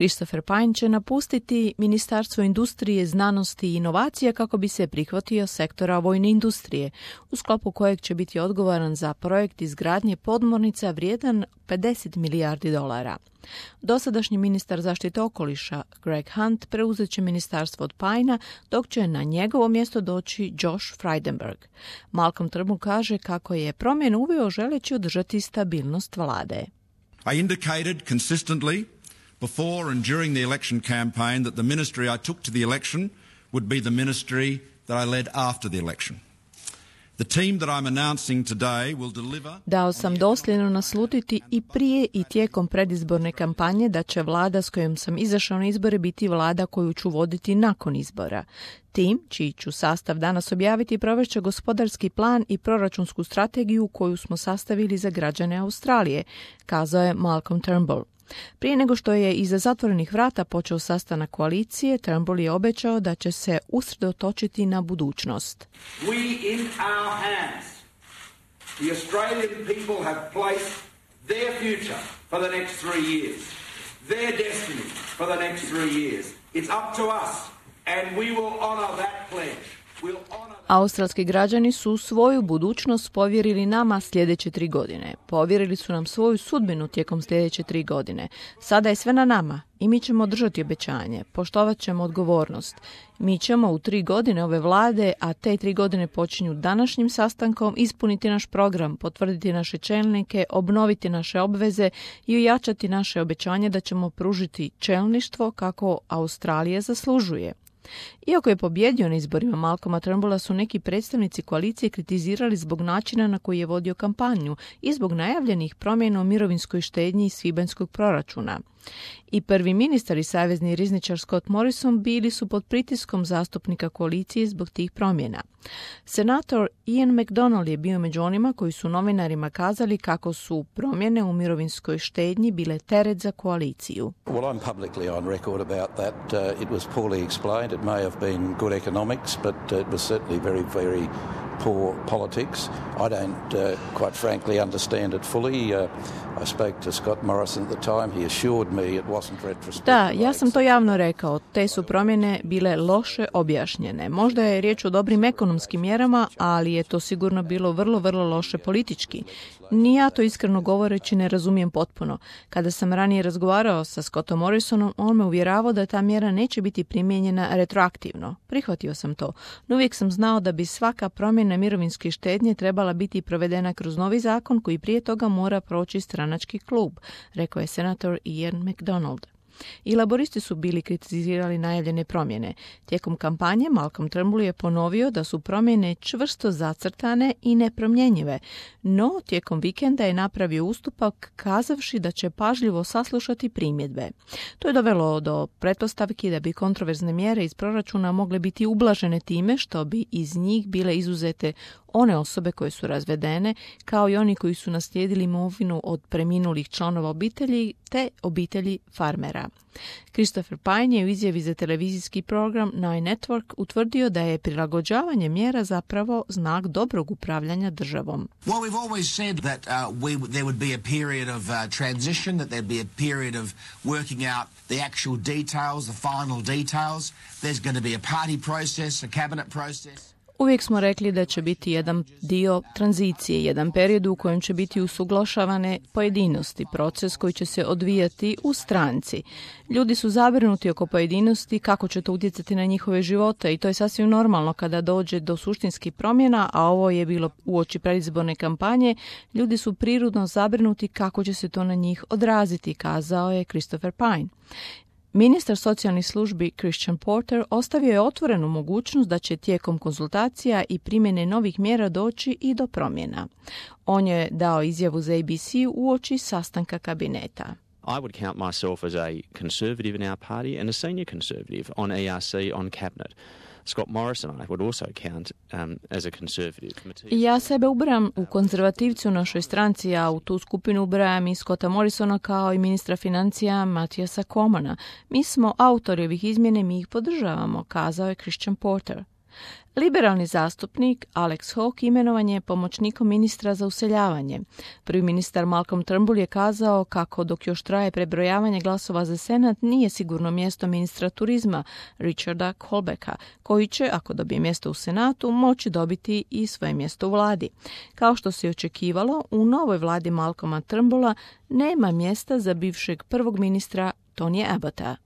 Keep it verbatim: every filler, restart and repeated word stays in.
Christopher Pyne će napustiti Ministarstvo industrije, znanosti i inovacija kako bi se prihvatio sektora vojne industrije, u sklopu kojeg će biti odgovoran za projekt izgradnje podmornica vrijedan pedeset milijardi dolara. Dosadašnji ministar zaštite okoliša Greg Hunt preuzet će ministarstvo od Pyna, dok će na njegovo mjesto doći Josh Frydenberg. Malcolm Turnbull kaže kako je promjenu uveo želeći održati stabilnost vlade. I indicated consistently before and during the election campaign that the ministry I took to the election would be the ministry that I led after the election. The team that I'm announcing today will deliver. Dao sam dosljedno naslutiti i prije i tijekom predizborne kampanje da će vlada s kojom sam izašao na izbore biti vlada koju ću voditi nakon izbora. Tim, čiji ću sastav danas objaviti, provešće gospodarski plan i proračunsku strategiju koju smo sastavili za građane Australije, kazao je Malcolm Turnbull. Prije nego što je iza zatvorenih vrata počeo sastanak koalicije, Turnbull je obećao da će se usredotočiti na budućnost. We in our hands, the Australian people have placed their future for the next three years, their destiny for the next three years. It's up to us and we will honor that pledge. We'll honor Australski građani su svoju budućnost povjerili nama sljedeće tri godine. Povjerili su nam svoju sudbinu tijekom sljedeće tri godine. Sada je sve na nama i mi ćemo držati obećanje, poštovat ćemo odgovornost. Mi ćemo u tri godine ove vlade, a te tri godine počinju današnjim sastankom, ispuniti naš program, potvrditi naše čelnike, obnoviti naše obveze i ojačati naše obećanje da ćemo pružiti čelništvo kako Australija zaslužuje. Iako je pobjedio na izborima Malcolma Turnbulla, su neki predstavnici koalicije kritizirali zbog načina na koji je vodio kampanju i zbog najavljenih promjena u mirovinskoj štednji iz svibanjskog proračuna. I prvi ministar i savezni rizničar Scott Morrison bili su pod pritiskom zastupnika koalicije zbog tih promjena. Senator Ian MacDonald je bio među onima koji su novinarima kazali kako su promjene u mirovinskoj štednji bile teret za koaliciju. Well, I'm publicly on record about that. Uh, it was poorly explained. It may have been good economics, but uh, it was certainly very, very poor politics. I don't, uh, quite frankly, understand it fully. Uh, I spoke to Scott Morrison at the time. He assured me it wasn't retrospective. Da, ja sam to javno rekao. Te su promjene bile loše objašnjene. Možda je riječ o dobrim ekonomskim mjerama, ali je to sigurno bilo vrlo, vrlo loše politički. Ni ja to iskreno govoreći ne razumijem potpuno. Kada sam ranije razgovarao sa Scottom Morrisonom, on me uvjeravao da ta mjera neće biti primijenjena retroaktivno. Prihvatio sam to, no uvijek sam znao da bi svaka promjena mirovinske štednje trebala biti provedena kroz novi zakon koji prije toga mora proći stranački klub, rekao je senator Ian MacDonald. I laboristi su bili kritizirali najavljene promjene. Tijekom kampanje Malcolm Turnbull je ponovio da su promjene čvrsto zacrtane i nepromjenjive, no tijekom vikenda je napravio ustupak kazavši da će pažljivo saslušati primjedbe. To je dovelo do pretpostavki da bi kontroverzne mjere iz proračuna mogle biti ublažene time što bi iz njih bile izuzete one osobe koje su razvedene, kao i oni koji su naslijedili imovinu od preminulih članova obitelji te obitelji farmera. Christopher Pyne je u izjavi za televizijski program Nine Network utvrdio da je prilagođavanje mjera zapravo znak dobrog upravljanja državom. Well, we've always said that uh, we, there would be a period of uh, transition, that there'd be a period of working out the actual details, the final details. There's going to be a party process, a cabinet process. Uvijek smo rekli da će biti jedan dio tranzicije, jedan period u kojem će biti usuglašavane pojedinosti, proces koji će se odvijati u stranci. Ljudi su zabrinuti oko pojedinosti, kako će to utjecati na njihove živote i to je sasvim normalno kada dođe do suštinskih promjena, a ovo je bilo uoči predizborne kampanje. Ljudi su prirodno zabrinuti kako će se to na njih odraziti, kazao je Christopher Pyne. Ministar socijalnih službi Christian Porter ostavio je otvorenu mogućnost da će tijekom konzultacija i primjene novih mjera doći i do promjena. On je dao izjavu za A B C uoči sastanka kabineta. I would count myself as a conservative in our party and a senior conservative on E R C, on cabinet. Scott Morrison I would also count um, as a conservative. Ja sebe ubrajam u konzervativci u našoj stranci, a u tu skupinu ubrajam i Scotta Morrisona kao i ministra financija Matijasa Comana. Mi smo autori ovih izmjene, mi ih podržavamo, kazao je Christian Porter. Liberalni zastupnik Alex Hawke imenovan je pomoćnikom ministra za useljavanje. Prvi ministar Malcolm Turnbull je kazao kako dok još traje prebrojavanje glasova za Senat nije sigurno mjesto ministra turizma Richarda Colbecka, koji će, ako dobije mjesto u Senatu, moći dobiti i svoje mjesto u vladi. Kao što se očekivalo, u novoj vladi Malcolma Turnbulla nema mjesta za bivšeg prvog ministra Tonyja Abbotta.